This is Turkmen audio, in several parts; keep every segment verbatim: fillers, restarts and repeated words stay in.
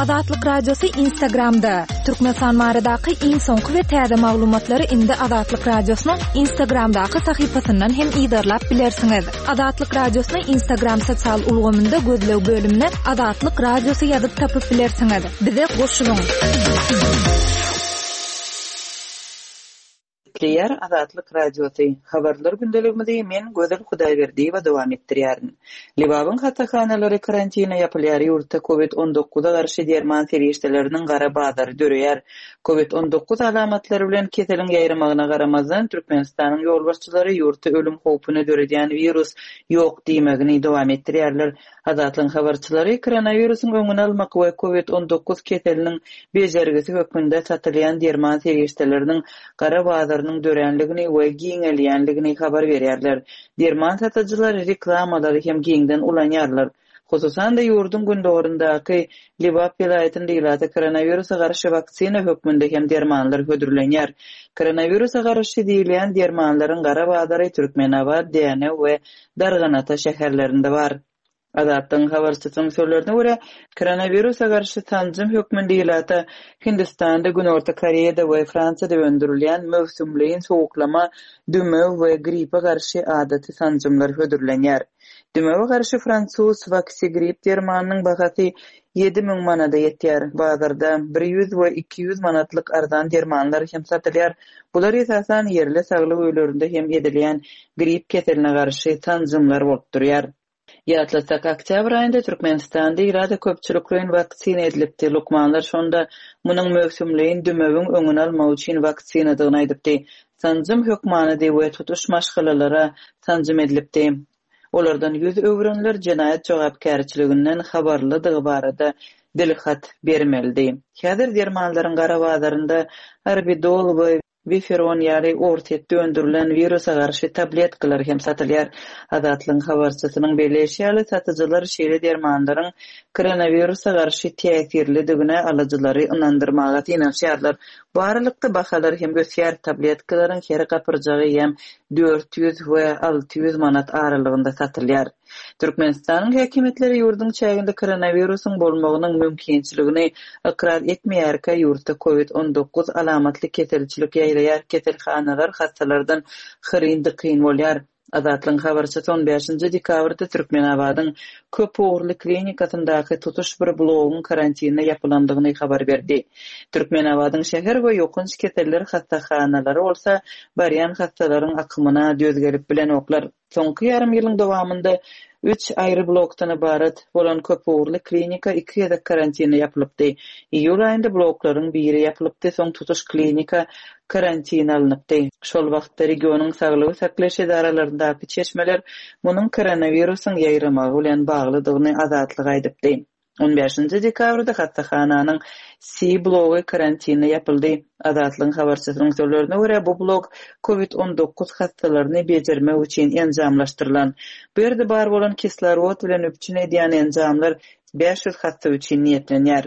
Azatlyk Radiosy Instagramda. Türkmenistan baradaky iň soňky we täze maglumatlary indi Azatlyk Radiosynyň Instagramdaky sahypasyndan hem yzarlap bilersiňiz. Azatlyk Radiosyny Instagram sosial ulgamynda gözleg bölümine Azatlyk Radiosy ýazyp tapyp bilersiňiz. Bize goşulyň. Gepleýär Azatlyk Radiosy. Habarlar gündeligimizi men Gözel Hudaýberdiýewa dowam etdirýärin. Lebabyň hassahanalary karantina ýapylýar, ýurtda Covid on dokuza garşy derman serişdeleriniň gara bazary döreýär. Covid on dokuz alamatlary bilen keseliň ýaýramagyna garamazdan, Türkmenistanyň ýolbaşçylary ýurtda ölüm howpuny döredýän wirus ýok diýmegini dowam etdirýärler. Azatlygyň habarçylary koronawirusyň öňüni almak we Covid on dokuz keseliniň bejergisi hökmünde satylýan derman serişdeleriniň gara bazarynyň döränligini we giňelýänligini habar berýärler. Derman satyjylar reklamalary hem giňden ulanýarlar. Hususan-da ýurduň gündogaryndaky Lebap welaýatynda ilata koronawirusa garşy waksina hökmünde hem dermanlar hödürlenýär. Koronawirusa garşy diýilýän dermanlaryň gara bazary Türkmenabat, Dänew we Darganata şäherlerinde bar. Azatlygyň habarçysynyň sözlerine görä, koronawirusa garşy sanjym hökmünde ilata Hindistanda, Günorta Koreýada we Fransiýada öndürilýän möwsümleýin sowuklama, dümew we gripe garşy adaty sanjymlar hödürlenýär. Dümewe garşy fransuz Vaxigrip dermanynyň bahasy ýedi müň manada ýetýär. Bazarda bir ýüz we iki ýüz manatlyk arzan dermanlar hem satylýar. Bular esasan ýerli saglyk öýlerinde hem edilýän grip keseline garşy sanjymlar bolup durýar. Ýatlasak, oktýabr aýynda Türkmenistanda ilata köpçülikleýin waksina edilipdi. Lukmanlar şonda munuň möwsümleýin dümewiň öňüni almak üçin waksinadygyny aýdypdy. Sanjym hökmanydy we tutuş maşgalalara sanjym edilipdi. Olardan ýüz öwrenler jenaýat jogapkärçiliginden habarlydygy barada dilhat bermelidi. Häzir dermanlaryň gara bazarynda Arbidol we Viferon ýaly Orsýetde öndürilen wirusa garşy tabletkalar hem satylýar. Azatlygyň habarçysynyň belleýşi ýaly, satyjylar şeýle dermanlaryň koronawirusa garşy täsirlidigine alyjylary ynandyrmaga synanyşýarlar. Bu aralykda bahalar hem ösýär. Tabletkalaryň her gapyrjagy hem dört ýüz we alty ýüz manat aralygynda satylýar. Türkmenistanyň häkimiýetleri ýurduň çäginde koronawirusyň bolmagynyň mümkinçiligini ykrar etmeýärkä ýurtda Covid on dokuz alamatly keselçilik ýaýraýar, keselhanalar hassalardan hyryn-dykyn bolýar. Azatlygyň habarçysy on bäşinji dekabrda Türkmenabadyň köp ugurly klinikasyndaky tutuş bir blogyň karantinine ýapylandygyny habar berdi. Türkmenabadyň şäher we ýokanç keseller hassahanalary bolsa barýan hassalaryň akymyna döz gelip bilenoklar. Soňky ýarym ýylyň dowamynda üç aýry blokdan ybarat bolan köp ugurly klinika iki gezek karantina ýapylypdy. Iýul aýynda bloklaryň biri ýapylypdy, soň tutuş klinika karantina alnypdy. Şol wagtda regionyň saglygy saklaýyş edaralaryndaky çeşmeler munuň koronawirusyň ýaýramagy bilen baglydygyny Azatlyga aýdypdy. On bäşinji dekabrda hassahananyň C blogy karantina ýapyldy. Azatlygyň habarçysynyň sözlerine görä, bu blok Covid on dokuz hassalaryny bejermek üçin enjamlaşdyrylan. Bu ýerde bar bolan kislorod bilen üpjün edýän enjamlar bäş ýüz hassa üçin niýetlenýär.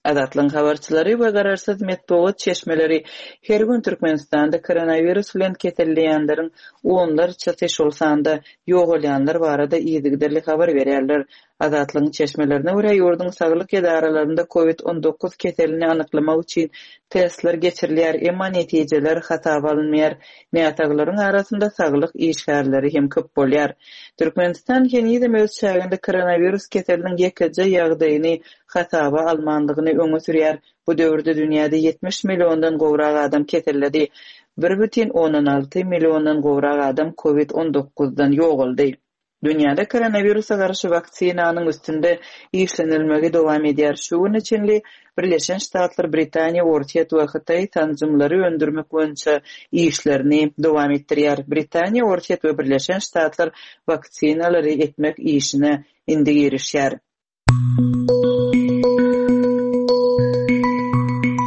Azatlygyň habarçylary we garaşsyz metbugat çeşmeleri her gün Türkmenistanda koronawirus bilen keselleýänleriň onlarçasy, şol sanda ýogalýanlar barada yzygiderli habar berýärler. Azatlygyň çeşmelerine görä, ýurduň saglyk edaralarynda Covid on dokuz keselini anyklamak üçin testler geçirilýär, emma netijeler hasaba alynmaýar. Näsaglaryň arasynda saglyk işgärleri hem köp bolýar. Türkmenistan henizem öz çäginde koronawirus keseliniň ýekeje ýagdaýyny hasaba almandygyny öňe sürýär. Bu döwürde dünýäde ýetmiş milliondan gowrak adam keselledi. Bir bütin ondan alty milliondan gowrak adam Covid on dokuzdan ýogaldy. Dünýäde koronawirusa garşy waksinanyň üstünde işlenilmegi dowam edýär. Şu güne çenli Birleşen Ştatlar, Britaniýa, Orsýet we Hytaý sanjymlary öndürmek boýunça işlerini dowam etdirýär. Britaniýa, Orsýet we Birleşen Ştatlar waksinalary etmek işine indi girişýär.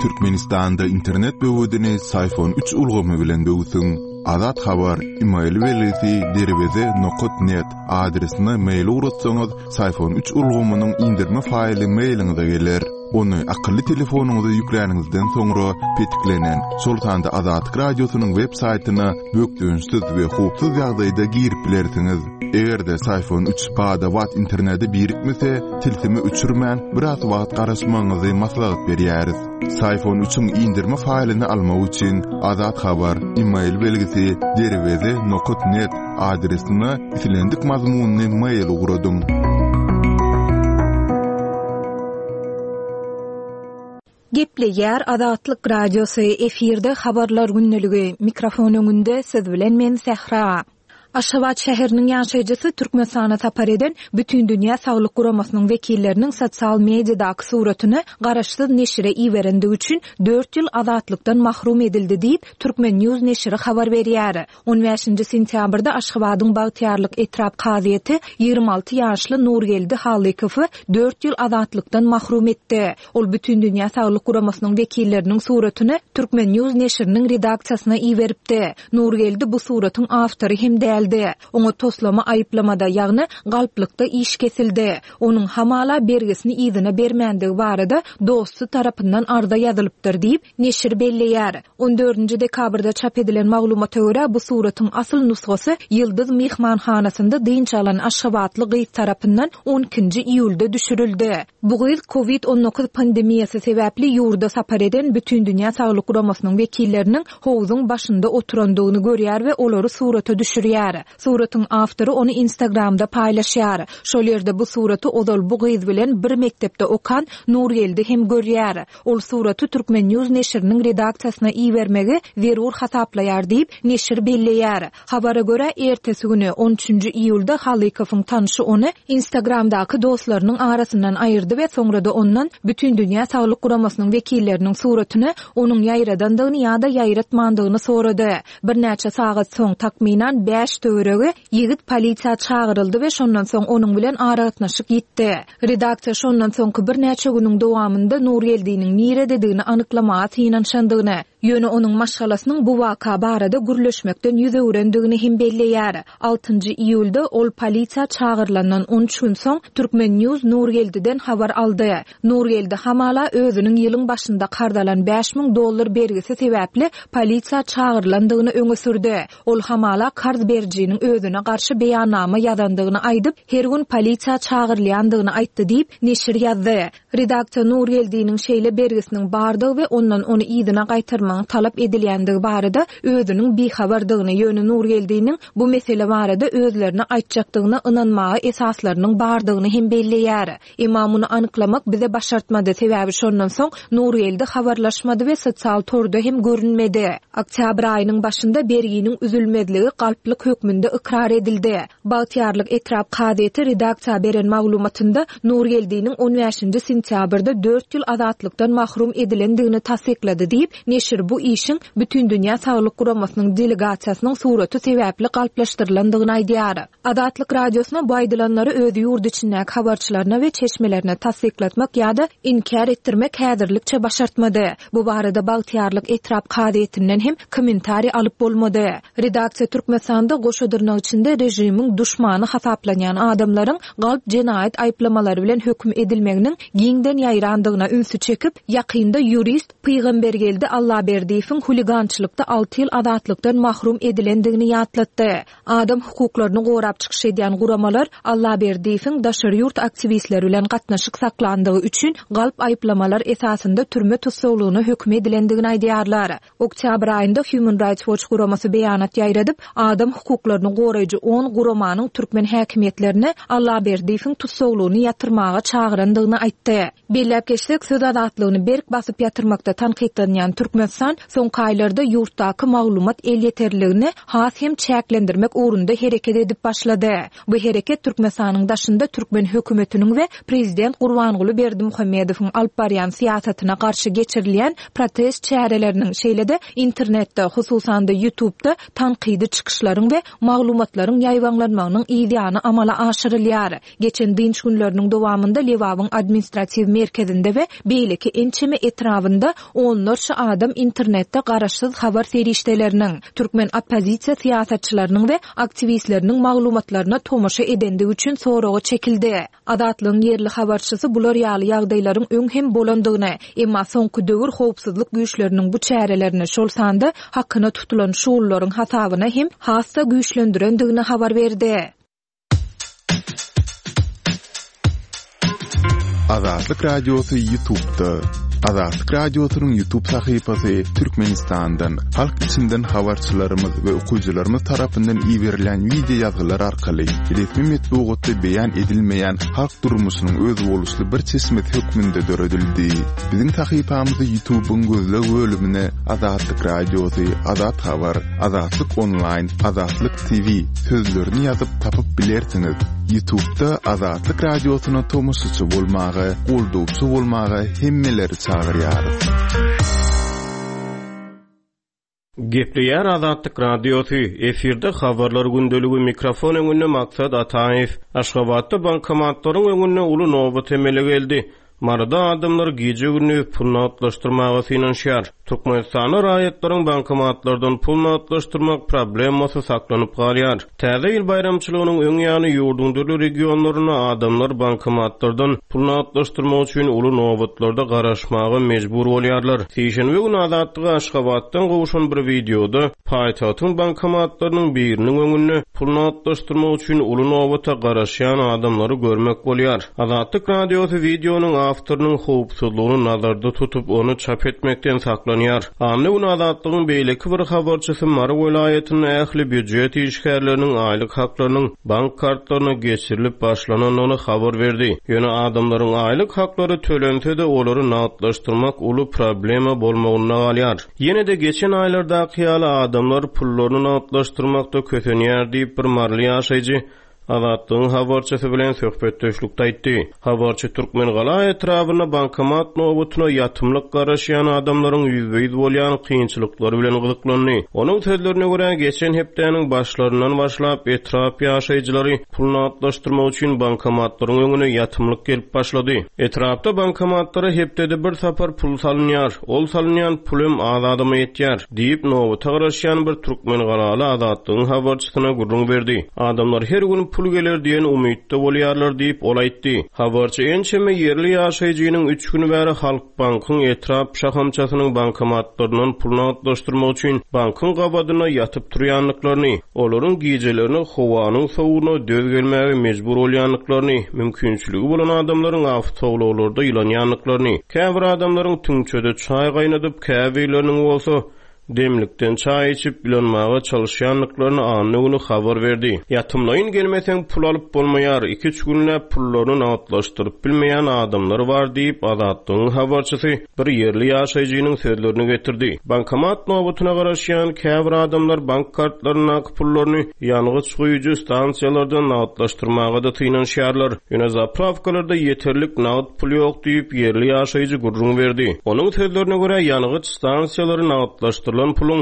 Türkmenistanda internet böwedini Syfon üç ulgamy bilen böwsüň. Azat Habar, e-mail belgisi derweze nokat net adresine mail ugratsaňyz, Syfon üç ulgamynyň indirme faýly mailiňize geler. Ony akylly telefonyňyza ýükläniňizden soňra petiklenen, şol sanda Azatlyk Radiosynyň web saýtyna bökdençsiz we howpsuz ýagdaýda girip bilersiňiz. Eger-de Psiphon üç bada-bat internete birikmese, tilsimi öçürmän biraz wagt garaşmagyňyzy maslahat berýäris. Psiphon üçiň indirme faýlyny almak üçin Azat Habar e-mail belgisi derweze nokta net adresine islendik mazmunyny mail ugradyň. Gepleýär Azatlyk Radiosy, efirde habarlar gündeligi, mikrofon öňünde siz bilen men Sähra. Aşgabat şäheriniň ýaşaýjysy Türkmenistana sapar eden Bütindünýä Saglyk Guramasynyň wekilleriniň sosial mediadaky suratyny garaşsyz neşire iberendigi üçin dört ýyl azatlykdan mahrum edildi diýip Türkmen News neşiri habar berýär. on bäşinji sentýabrda Aşgabadyň Bagtyýarlyk etrap kazyýeti ýigrimi alty ýaşly Nurgeldi Halykowy dört ýyl azatlykdan mahrum etdi. Ol Bütindünýä Saglyk Guramasynyň wekilleriniň suratyny Türkmen News neşiriniň redaksiýasyna iberipdi. Nurgeldi bu suratyň awtory hem däldi. Oňa toslama aýyplamada, ýagny galplykda iş kesildi. Onuň hamala bergisini yzyna bermändigi barada dosty tarapyndan arza ýazylypdyr diýip neşir belleýär. on dördünji dekabrda çap edilen maglumata görä bu suratyň asyl nusgasy Ýyldyz mehmanhanasynda dynç alan Aşgabatly gyz tarapyndan on ikinji iýulda düşürildi. Bu gyz kovid on dokuz pandemiýasy sebäpli ýurda sapar eden Bütindünýä Saglyk Guramasynyň wekilleriniň howzuň başynda oturandygyny görýär we olary surata düşürýär. Suratyň awtory ony Instagramda paýlaşýar. Şol ýerde bu suraty ozal bu gyz bilen bir mektepde okan Nurgeldi hem görýär. Ol suraty Türkmen News neşiriniň redaksiýasyna ibermegi zerur hasaplaýar diýip neşir belleýär. Habara görä ertesi güni on üçünji iýulda Halykowyň tanşy ony Instagramdaky dostlarynyň arasyndan aýyrdy we soňra da ondan Bütindünýä Saglyk Guramasynyň wekilleriniň suratyny onuň ýaýradandygyny ýa-da ýaýratmandygyny sorady. Birnäçe sagat soň takmynan bäş töweregi ýigit polisiýa çagyryldy we şondan soň onuň bilen aragatnaşyk ýitdi. Redaksiýa şondan soňky birnäçe günüň dowamynda Nurgeldiniň nirededigini anyklamaga synanyşandygyny, ýöne onuň maşgalasynyň bu waka barada gürleşmekden ýüz öwrendigini hem belleýär. Altynjy iýulda ol polisiýa çagyrylandan on üç gün soň Türkmen News Nurgeldiden habar aldy. Nurgeldi hamala özüniň ýylyň başynda karz alan bäş müň dollar bergisi sebäpli polisiýa çagyrylandygyny öňe sürdi. Ol hamala karz berijiniň özüne garşy beýannama ýazandygyny aýdyp, her gün polisiýa çagyrylýandygyny aýtdy diýip neşir ýazdy. Redaksiýa Nurgeldiniň şeýle bergisiniň bardygy we ondan ony yzyna gaýtarmagyň talap edilýändigi barada özüniň bihabardygyny, ýöne Nurgeldiniň bu mesele barada özlerine aýtjakdygyna ynanmaga esaslarynyň bardygyny hem belleýär. Emma muny anyklamak bize başartmady, sebäbi şondan soň Nurgeldi habarlaşmady we sosial torda hem görünmedi. Oktýabr aýynyň başynda berginiň üzülmezligi galplyk hökmünde ykrar edildi. Bagtyýarlyk etrap kazyýeti redaksiýa beren maglumatynda Nurgeldiniň on bäşinji sentýabrda dört ýyl azatlykdan mahrum edilendigini tassyklady diýip, neşir bu işiň Bütindünýä Saglyk Guramasynyň delegasiýasynyň suraty sebäpli galplaşdyrylandygyny aýdýar. Azatlyk Radiosyna bu aýdylanlary öz ýurt içindäki habarçylaryna we çeşmelerine tassyklatmak ýa-da inkär etdirmek häzirlikçe başartmady. Bu barada Bagtyýarlyk etrap kazyýetinden hem kommentariý alyp bolmady. Redaksiýa Türkmenistanda goşa dyrnak içinde režimiň duşmany hasaplanýan adamlaryň galp jenaýat aýyplamalary bilen höküm edilmeginiň giňden ýaýrandygyna ünsi çekip, ýakynda ýurist Pygambergeldi Allaberdiýewiň huligançylykda alty ýyl azatlykdan mahrum edilendigini ýatlatdy. Adam hukuklaryny gorap çykyş edýän guramalar Allaberdiýewiň daşary ýurt aktiwistleri bilen gatnaşyk saklandygy üçin galp aýyplamalar esasynda türme tussaglygyna höküm edilendigini aýdýarlar. Oktýabr aýynda Human Rights Watch guramasy beýanat ýaýradyp, adam hukuklaryny goraýjy on guramanyň türkmen häkimiýetlerine Allaberdiýewiň tussaglygyny ýatyrmaga çagyrandygyny aýtdy. Belläp geçsek, söz azatlygyny berk basyp ýatyrmakda tankytlanýan Türkmenistan soňky aýlarda ýurtdaky maglumat elýeterliligini has hem çäklendirmek ugrunda hereket edip başlady. Bu hereket Türkmenistanyň daşynda türkmen hökümetiniň we prezident Gurbanguly Berdimuhamedowyň alyp barýan syýasatyna garşy geçirilýän protest çäreleriniň, şeýle-de internetde, hususan-da YouTube'da tankydy çykyşlaryň we maglumatlaryň ýaýbaňlanmagynyň ýany amala aşyrylýar. Geçen dynç günleriniň dowamynda Lebabyň administratiw merkezinde we beýleki ençeme etrabynda onlarça adam internetde garaşsyz habar serişdeleriniň, türkmen oppozisiýa syýasatçylarynyň we aktiwistleriniň maglumatlaryna tomaşa edendigi üçin soraga çekildi. Azatlygyň ýerli habarçysy bular ýaly ýagdaýlaryň öň hem bolandygyny, emma soňky döwür howpsuzlyk güýçleriniň bu çärelerini, şol sanda hakyna tutulan şugullaryň hasabyna hem has-da güýçlendirendigini habar berdi. Azatlyk Radiosy YouTube'da. Azatlyk Radiosynyň YouTube sahypasy Türkmenistandan, halk içinden habarçylarymyz we okyjylarymyz tarapyndan iberilen wideo ýazgylar arkaly resmi metbugatda beýan edilmeýän halk durmuşynyň özboluşly bir çeşmesi hökmünde döredildi. Biziň sahypamyzy YouTube'yň gözleg bölümine Azatlyk Radiosy, Azat Habar, Azatlyk Online, Azatlyk T V sözlerini ýazyp tapyp bilersiňiz. YouTube'da Azatlyk Radiosyna tomaşaçy bolmaga, goldawçy bolmaga hemmeleri çagyrýarys. Gepleýär Azatlyk Radiosy, efirde habarlar gündeligi, mikrofon öňünde Maksat Ataýew. Aşgabatda bankomatlaryň öňünde uly nobat emele geldi. Maryda adamlar gije-gündiz pul nagtlaşdyrmaga synanyşýar. Türkmenistanda raýatlaryň bankomatlardan pul nagtlaşdyrmak problemasy saklanyp galýar. Täze ýyl baýramçylygynyň öň ýany ýurduň dürli regionlarynda adamlar bankomatlardan pul nagtlaşdyrmak üçin uly nobatlarda garaşmaga mejbur bolýarlar. Sişenbe güni Azatlyga Aşgabatdan gowşan bir wideoda paýtagtyň bankomatlarynyň biriniň öňünde pul nagtlaşdyrmak üçin uly nobata garaşýan adamlary görmek bolýar. Azatlyk Radiosy wideonyň awtorynyň howpsuzlygyny nazarda tutup, ony çap etmekden saklanýar. Anna gün Azatlygyň beýleki bir habarçysy Mary welaýatynda ähli býujet işgärleriniň aýlyk haklarynyň bank kartlaryna geçirilip başlanandygyny habar berdi. Ýöne adamlaryň aýlyk haklary tölense-de olary nagtlaşdyrmak uly problema bolmagynda galýar. Ýene-de geçen aýlardaky ýaly adamlar pullaryny nagtlaşdyrmakda kösenýär diýip bir maryly ýaşaýjy Azatlygyň habarçysy bilen söhbetdeşlikde aýtdy. Habarçy Türkmengala etrabynda bankomat nobatyna ýatymlyk garaşýan adamlaryň ýüzbe-ýüz bolýan kynçylyklary bilen gyzyklandy. Onuň sözlerine görä geçen hepdäniň başlaryndan başlap etrap ýaşaýjylary pul nagtlaşdyrmak üçin bankomatlaryň öňüne ýatymlyk gelip başlady. Etrapda bankomatlara hepdede bir sapar pul salynýar. Ol salynýan pulum az adama ýetýär diýip nobata garaşýan bir Türkmengalaly Azatlygyň habarçysyna gürrüň berdi. Adamlar her gün pul geler diýen umytda bolýarlar diýip ol aýtdy. Habarçy ençeme ýerli ýaşaýjynyň üç gün bäri Halk Bankyň etrap şahamçasynyň bankomatlaryndan pul nagtlaşdyrmak üçin bankyň gabadyna ýatyp turýandyklaryny, olaryň gijelerini howanyň sowugyna döz gelmäge mejbur bolýandyklaryny, mümkinçiligi bolan adamlaryň awtoulaglarda ýylanýandyklaryny, käbir adamlaryň tüňçede çaý gaýnadyp, käbirleriniň bolsa demlikden çaý içip ýylanmaga çalışýandyklaryny anna güni habar berdi. Ýatymlaýyn gelmeseň pul alyp bolmaýar, iki-üç günläp pullaryny nagtlaşdyryp bilmeýän adamlar bar diýip Azatlygyň habarçysy bir ýerli ýaşaýjynyň sözlerini getirdi. Bankomat nobatyna garaşýan käbir adamlar bank kartlaryndaky pullaryny ýangyç guýujy stansiýalardan nagtlaşdyrmaga da synanyşýarlar. Ýöne zapravkalarda ýeterlik nagt pul ýok diýip ýerli ýaşaýjy gürrüň berdi. Onuň sözlerine görä ýangyç stansiýalary nagtlaşdyrylan puluň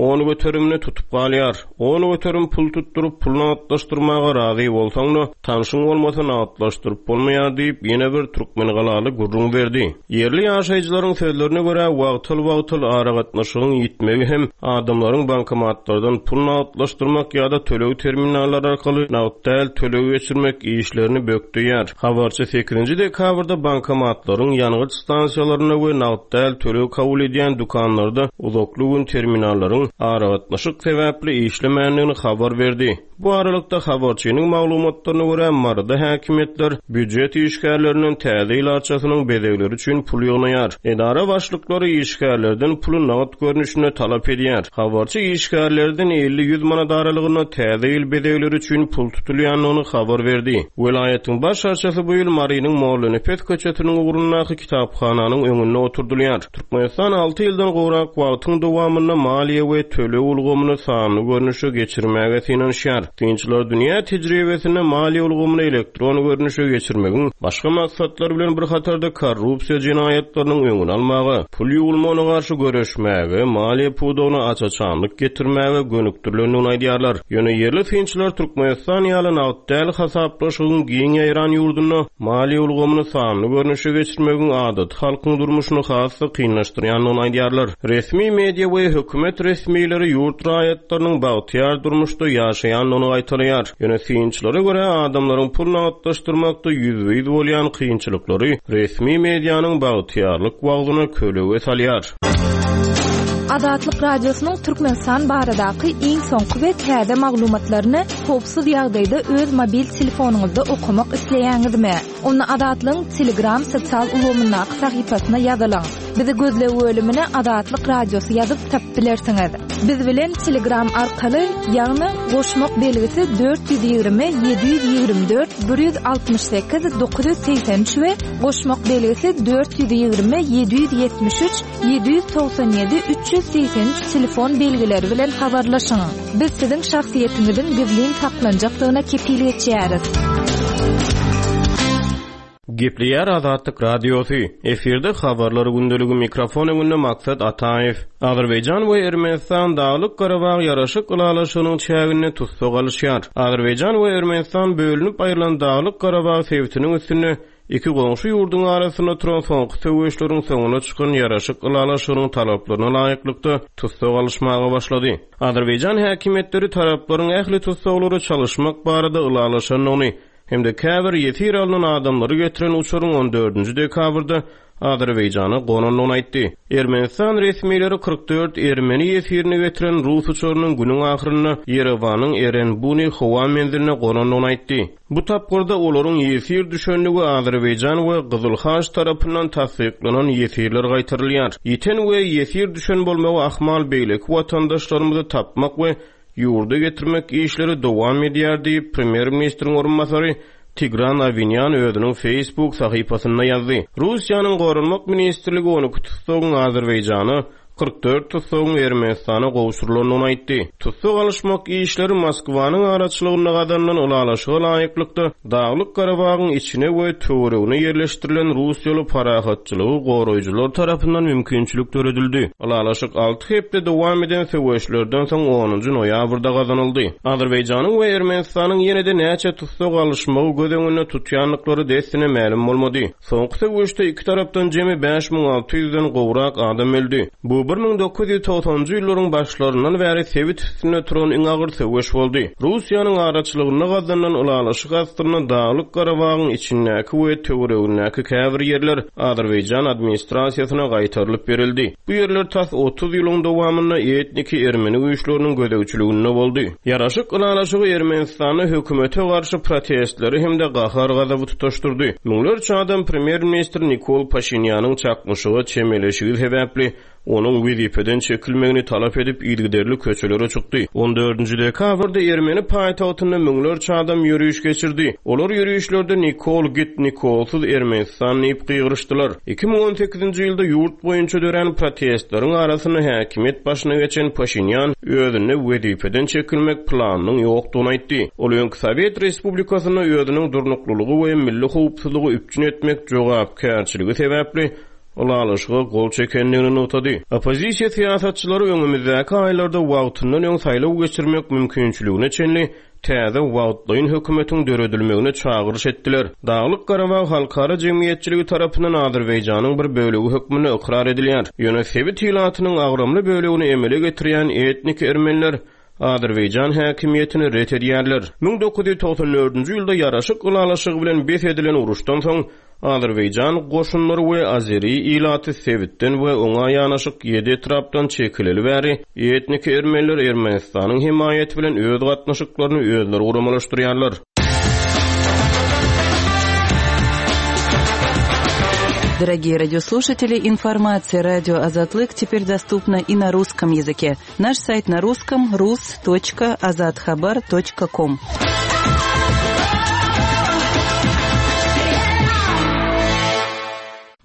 on göterimini tutup galýar. On göterim pul tutduryp pul nagtlaşdyrmaga razy bolsaň-da, tanşyň bolmasa nagtlaşdyryp bolmaýar diýip ýene bir Türkmengalaly gürrüň berdi. Ýerli ýaşaýjylaryň sözlerine görä wagtal-wagtal aragatnaşygyň ýitmegi hem adamlaryň bankomatlardan pul nagtlaşdyrmak ýa-da töleg terminallary arkaly nagt däl töleg geçirmek işlerini bökdeýär. Habarçy sekizinji dekabrda bankomatlaryň ýangyç stansiýalarynda we nagt däl töleg kabul edýän dükanlarda uzakly gün terminallaryň aragatnaşyk sebäpli işlemändigini habar berdi. Bu aralykda habarçynyň maglumatlaryna görä Maryda häkimiýetler býujet işgärlerinden täze ýyl arçasynyň bezegleri üçin pul ýygnaýar. Edara başlyklary işgärlerden puly nagt görnüşinde talap edýär. Habarçy işgärlerden elli ýüz manat aralygynda täze ýyl bezegleri üçin pul tutulýandygyny habar berdi. Welaýatyň baş arçasy bu ýyl Marynyň Mollanepes köçesiniň ugrundaky kitaphananyň öňünde oturdylýar. Türkmenistan alty ýyldan gowrak wagtyň dowamynda maliýe we we töleg ulgamyny sanly görnüşe geçirmäge synanyşýar. Synçylar dünýä tejribesinde maliýe ulgamyny elektron görnüşe geçirmegiň başga maksatlar bilen bir hatarda korrupsiýa jenaýatlarynyň öňüni almaga, pul ýuwulmagyna garşy göreşmäge, maliýe pudagyna aç-açanlyk getirmäge gönükdirilendigini aýdýarlar. Ýöne ýerli synçylar Türkmenistan ýaly nagt däl hasaplaşygyň giň ýaýran ýurdunda maliýe ulgamyny sanly görnüşe geçirmegiň adaty halkyň durmuşyny has-da kynlaşdyrýandygyny aýdýarlar. Resmi media we hökümet resmileri ýurt raýatlarynyň bagtyýar durmuşda ýaşaýandygyny gaýtalaýar. Ýöne synçylara görä adamlaryň pul nagtlaşdyrmakda ýüzbe-ýüz bolýan kynçylyklary resmi medianyň bagtyýarlyk wagzyna kölege salýar. Azatlyk Radiosynyň Türkmenistan baradaky iň soňky we täze maglumatlaryny howpsuz ýagdaýda öz mobil telefonyňyzda okamak isleýäňizmi? Onda Azatlygyň Telegram sosial ulgamyndaky sahypasyna ýazylyň. Bizi gözleg bölümine Azatlyk Radiosy ýazyp tapyp bilersiňiz. Biz bilen Telegram arkaly, ýagny goşmak belgisi dört ýüz ýigrimi ýedi ýüz ýigrimi dört bir ýüz altmyş sekiz dokuz ýüz segsen üç we goşmak belgisi dört ýüz ýigrimi ýedi ýüz ýetmiş üç ýedi ýüz togsan ýedi üç ýüz segsen üç telefon belgileri bilen habarlaşyň. Biz siziň şahsyýetiňiziň gizlin saklanjakdygyna kepil geçýäris. Gepleýär Azatlyk Radiosy. Efirde habarlar gündeligi mikrofon öňünde Maksat Ataýew. Azerbaýjan we Ermenistan Daglyk Garabag ýaraşyk ylalaşygynyň çäginde tussag alyşýar. Azerbaýjan we Ermenistan bölünip aýrylan Daglyk Garabag sebitiniň üstünde iki goňşy ýurduň arasynda turan soňky söweşleriň soňuna çykan ýaraşyk ylalaşygynyň talaplaryna laýyklykda tussag alyşmaga başlady. Azerbaýjan häkimiýetleri taraplaryň ähli tussaglary çalyşmak barada ylalaşandygyny hem-de käbir ýesir alnan adamlary getiren uçaryň on dördünji dekabrda Azerbaýjana gonandygyny aýtdy. Ermenistan resmileri kyrk dört ermeni ýesirini getiren rus uçarynyň günüň ahyrynda Ýerewanyň Erenbuni howa menziline gonandygyny aýtdy. Bu tapgyrda olaryň ýesir düşendigi Azerbaýjan we Gyzylhaç tarapyndan tassyklanan ýesirler gaýtarylýar. Ýeten we ýesir düşen bolmagy ahmal beýleki watandaşlarymyzy tapmak we ýurda getirmek işleri dowam edýär diýip premýer-ministriň orunbasary Tigran Awinýan özüniň Facebook sahypasynda ýazdy. Russiýanyň Goranmak ministrligi on iki tussagyň Azerbaýjana, kyrk dört tussagyň Ermenistana gowşurylandygyny aýtdy. Tussag alyşmak işleri Moskwanyň araçylygynda gazanylan ylalaşyga laýyklykda Daglyk Garabagyň içine we töweregine ýerleşdirilen Russiýaly parahatçylygy goraýjylar tarapyndan mümkinçilik döredildi. Ylalaşyk alty hepde dowam eden söweşlerden soň onunjy noýabrda gazanyldy. Azerbaýjanyň we Ermenistanyň ýene-de näçe tussag alyşmagy göz öňünde tutýandyklary dessine mälim bolmady. Soňky söweşde iki tarapdan jemi bäş müň alty ýüzden gowrak adam öldi. Bu bir müň dokuz ýüz togsanjy ýyllaryň başlaryndan bäri sebit üstünde turan iň agyr söweş boldy. Russiýanyň araçylygynda gazanylan ylalaşyk astynda Daglyk Garabagyň içindäki we töweregindäki käbir ýerler Azerbaýjan administrasiýasyna gaýtarylyp berildi. Bu ýerler tas otuz ýylyň dowamynda etniki ermeni güýçleriniň gözegçiliginde boldy. Ýaraşyk ylalaşygy Ermenistanda hökümete garşy protestleri hem-de gahar-gazaby tutaşdyrdy. Müňlerçe adam premýer-ministr Nikol Paşinýanyň çaknyşyga çemeleşigi sebäpli onuň wezipeden çekilmegini talap edip yzygiderli köçelere çykdy. on dördünji dekabrda Ermeni paýtagtynda müňlerçe adam ýörüş geçirdi. Olar ýörüşlerde Nikol git, Nikolsyz Ermenistan diýip gygyryşdylar. iki müň on sekizinji ýylda ýurt boýunça dörän protestleriň arasynda häkimiýet başyna geçen Paşinýan özünde wezipeden çekilmek planynyň ýokdugyny aýtdy. Ol öňki Sowet Respublikasynda özüniň durnuklylygy we milli howpsuzlygy üpjün etmek jogapkärçiligi sebäpli ylalaşyga gol çekendigini nygtady. Oppozisiýa syýasatçylary öňümizdäki aýlarda wagtyndan öň saýlaw geçirmek mümkinçiligine çenli täze wagtlaýyn hökümetiň döredilmegine çagyryş etdiler. Daglyk Garabag halkara jemgyýetçiligi tarapyndan Azerbaýjanyň bir bölegi hökmünde ykrar edilýär. Ýöne sebit ilatynyň agramly bölegini emele getirýän etnik ermeniler Azerbaýjan häkimiýetini ret edýärler. müň dokuz ýüz togsan dördünji ýylda ýaraşyk ylalaşygy bilen bes edilen uruşdan soň Azerbaýjan goşunlary we Azeri ilaty sebitden we oňa ýanaşyk ýedi etrapdan çekileli bäri etnik ermeniler Ermenistanyň hemaýaty bilen öz gatnaşyklaryny özleri guramalaşdyrýarlar. Дорогие радиослушатели, информация радио Азатлык теперь доступна и на русском языке. Наш сайт на русском рус точка азатхабар точка ком.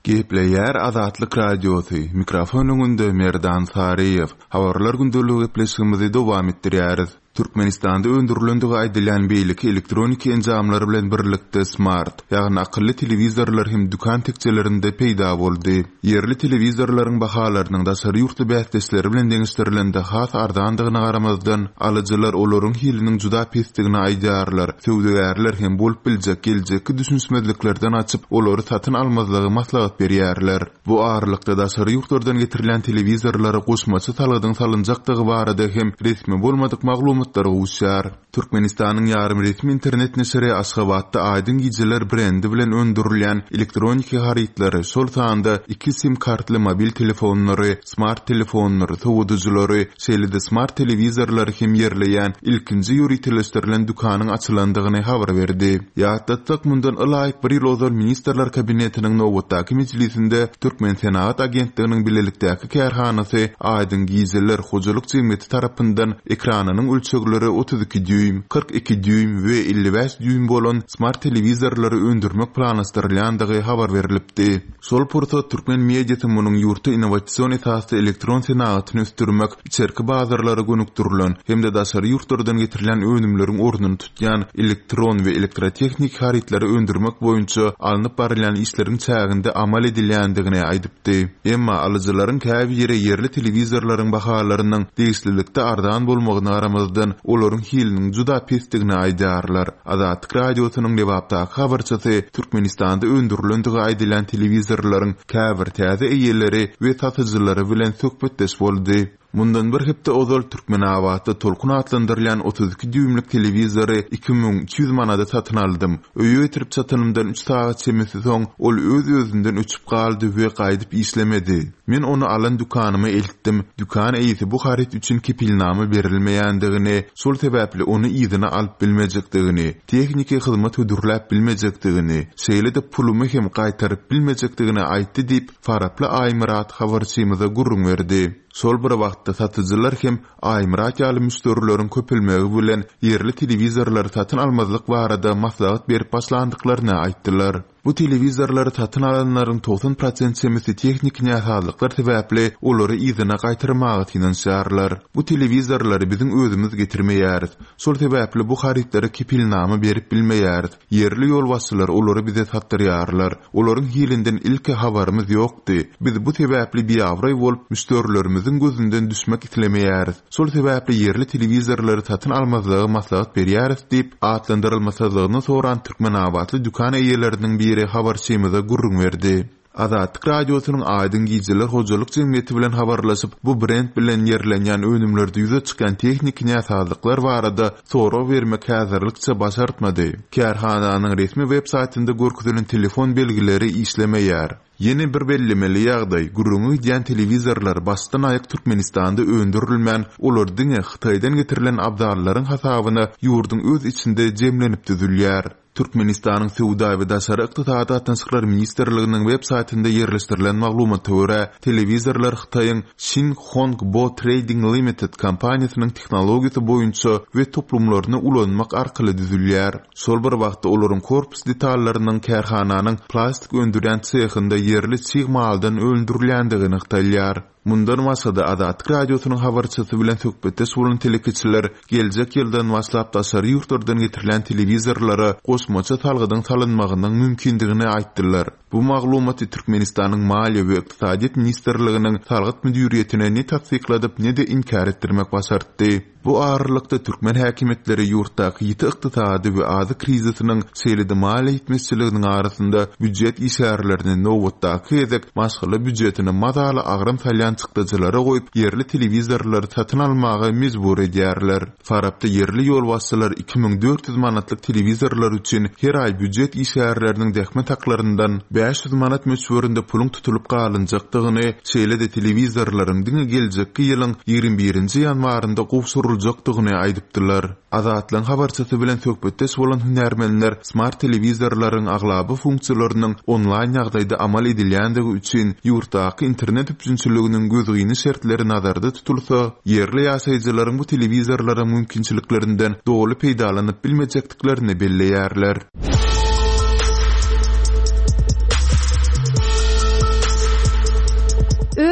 Gepleýär Azatlyk Radiosy, mikrofon öňünde Merdan Saryýew. Habarlar gündeligi gepleşigimizi dowam etdirýäris. Türkmenistanda öndürilendigi aýdylýan beýleki elektroniki enjamlar bilen birlikde smart, ýagny akylly telewizorlar hem dükan tekjelerinde peýda boldy. Ýerli telewizorlaryň bahalarynyň daşary ýurtly bäsdeşleri bilen deňeşdirilende has arzandygyna garamazdan, alyjylar olaryň hiliniň juda pesdigini aýdýarlar. Söwdagärler hem bolup biljek geljekki düşünişmezliklerden açyp, olary satyn almazlygy maslahat berýärler. Bu aralykda daşary ýurtlardan getirilýän telewizorlara goşmaça salgydyň salynjakdygy barada hem resmi bolmadyk maglumatlar gowuşýar. Türkmenistanyň ýarym resmi internet neşiri Aşgabatda Aýdyň gijeler brendi bilen öndürilýän elektroniki harytlary, şol sanda iki sim kartly mobil telefonlary, smart telefonlary, sowadyjylary, şeýle-de smart telewizorlary hem ýerleýän ilkinji ýöriteleşdirilen dükanyň açylandygyny habar berdi. Ýatlatsak, mundan ylaýyk bir ýyl ozal Ministrler Kabinetiniň nobatdaky mejlisinde Türkmensenagat agentliginiň bilelikdäki kärhanasy Aýdyň gijeler hojalyk jemgyýeti tarapyndan ekranynyň ölçegleri otuz iki düým, kyrk iki düým we elli bäş düým bolan smart telewizorlary öndürmek planlaşdyrylýandygy habar berlipdi. Şol pursat türkmen mediasy munuň ýurtda innowasion esasda elektron senagatyny ösdürmek, içerki bazarlara gönükdirilen hem-de daşary ýurtlardan getirilýän önümleriň ornuny tutýan elektron we elektrotehniki harytlary öndürmek boýunça alnyp barylýan işleriň çäginde amal edilýändigini aýdypdy. Emma alyjylaryň käbiri ýerli telewizorlaryň bahalarynyň degişlilikde arzan bolmagyna garamazdan, olaryň hiliniň juda pesdigini aýdýarlar. Azatlyk Radiosynyň Lebapdaky habarçysy Türkmenistanda öndürilendigi aýdylýan telewizorlaryň käbir täze eýeleri we satyjylary bilen söhbetdeş boldy. Mundan bir hepde ozal Türkmenabatda Tolkun atlandyrylýan otuz iki düýmlük telewizory iki müň iki ýüz manada satyn aldym. Öýe getirip çatanymdan üç sagat çemesi soň ol öz-özünden öçüp galdy we gaýdyp işlemedi. Men ony alan dükanyma eltdim. Dükan eýesi bu haryt üçin kepilnama berilmeýändigini, şol sebäpli ony yzyna alyp bilmejekdigini, tehniki hyzmat hödürläp bilmejekdigini, şeýle-de pulumy hem gaýtaryp bilmejekdigini aýtdy diýip, Faraply Aýmyrat habarçymyza gürrüň berdi. Şol bir wagtda satyjylar hem Aýmyrat ýaly müşderileriň köpelmegi bilen ýerli telewizorlary satyn almazlyk barada maslahat berip başlandyklaryny aýtdylar. Bu telewizorlary satyn alanlaryň togsan prosent çemesi tehniki näsazlyklar sebäpli olary yzyna gaýtarmaga synanyşýarlar. Bu telewizorlary biziň özümiz getirmeýäris. Şol sebäpli bu harytlara kepilnama berip bilmeýäris. Ýerli ýolbaşçylar olary bize satdyrýarlar. Olaryň hilinden ilki habarymyz ýokdy. Biz bu sebäpli biabraý bolup müşderilerimiziň gözünden düşmek islemeýäris. Şol sebäpli ýerli telewizorlary satyn almazlygy maslahat berýäris diýip, atlandyrylmasyzlygyny soran Türkmenabatly dükan eýeleriniň biri habarçymyza gürrüň berdi. Azatlyk Radiosynyň Aýdyň gijeler hojalyk jemgyýeti bilen habarlaşyp, bu brend bilen ýerlenýän önümlerde ýüze çykýan tehniki näsazlyklar barada sorag bermek häzirlikçe başartmady. Kärhananyň resmi web saýtynda görkezilen telefon belgileri işlemeýär. Ýene bir bellemeli ýagdaý, gürrüňi gidýän telewizorlar başdan aýak Türkmenistanda öndürilmän, olar diňe Hytaýdan getirilen abzallaryň hasabyna ýurduň öz içinde jemlenip düzülýär. Türkmenistanyň Söwda we daşary ykdysady gatnaşyklar ministrliginiň web saýtynda ýerleşdirilen maglumata görä, telewizorlar Hytaýyň Xin Hong Bo Trading Limited kompaniýasynyň tehnologiýasy boýunça we toplumlaryny ulanmak arkaly düzülýär. Şol bir wagtda olaryň korpus detallarynyň kärhananyň plastik öndürýän sehinde ýerli çig maldan öndürilýändigi nygtalýar. Mundan başga-da Azatlyk Radiosynyň habarçysy bilen söhbetdeş bolan telekeçiler geljek ýyldan başlap daşary ýurtlardan getirilýän telewizorlara goşmaça salgydyň salynmagynyň mümkindigini aýtdylar. Bu maglumaty Türkmenistanyň Maliýe we ykdysadyýet ministrliginiň salgyt müdiriýetine ne tassykladyp, ne-de inkär etdirmek başartdy. Bu aralykda türkmen häkimiýetleri ýurtdaky ýiti ykdysady we azyk krizisiniň, şeýle-de maliýe ýetmezçiliginiň arasynda býujet işgärlerini nobatdaky gezek maşgala býujetine mazaly agram salýan çykdajylara goýup, ýerli telewizorlary satyn almaga mejbur edýärler. Farapda ýerli ýolbaşçylar iki müň dört ýüz manatlyk telewizorlar üçin her aý býujet işgärleriniň zähmet haklaryndan bäş ýüz manat möçberinde puluň tutulyp galynjakdygyny, şeýle-de telewizorlaryň diňe geljekki ýylyň ýigrimi birinji ýanwarynda gowşuryljakdygyny aýdypdylar. Azatlygyň habarçysy bilen söhbetdeş bolan hünärmenler smart telewizorlaryň aglaba funksiýalarynyň onlaýn ýagdaýda amal edilýändigi üçin ýurtdaky internet üpjünçiliginiň gözgyny şertleri nazarda tutulsa, ýerli ýaşaýjylaryň bu telewizorlaryň mümkinçiliklerinden doly peýdalanyp bilmejekdiklerini belleýärler.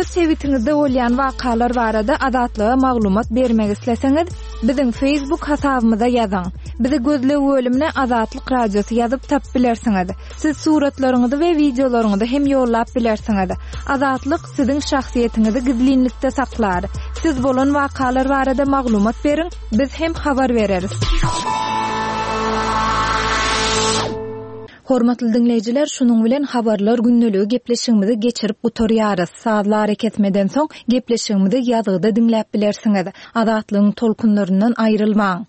Öz sebitiňizde bolýan wakalar barada Azatlyga maglumat bermek isleseňiz, biziň Facebook hasabymyza ýazyň. Bizi gözleg bölümine Azatlyk Radiosy ýazyp tapyp bilersiňiz. Siz suratlaryňyzy we wideolaryňyzy hem ýollap bilersiňiz. Azatlyk siziň şahsyýetiňizi gizlinlikde saklar. Siz bolan wakalar barada maglumat beriň, biz hem habar bereris. Hormatly diňleýjiler, şunuň bilen habarlar gündeligi gepleşigimizi geçirip gutarýarys. Sazly arakesmeden soň gepleşigimizi ýazgyda diňläp bilersiňiz. Azatlygyň tolkunlaryndan aýrylmaň.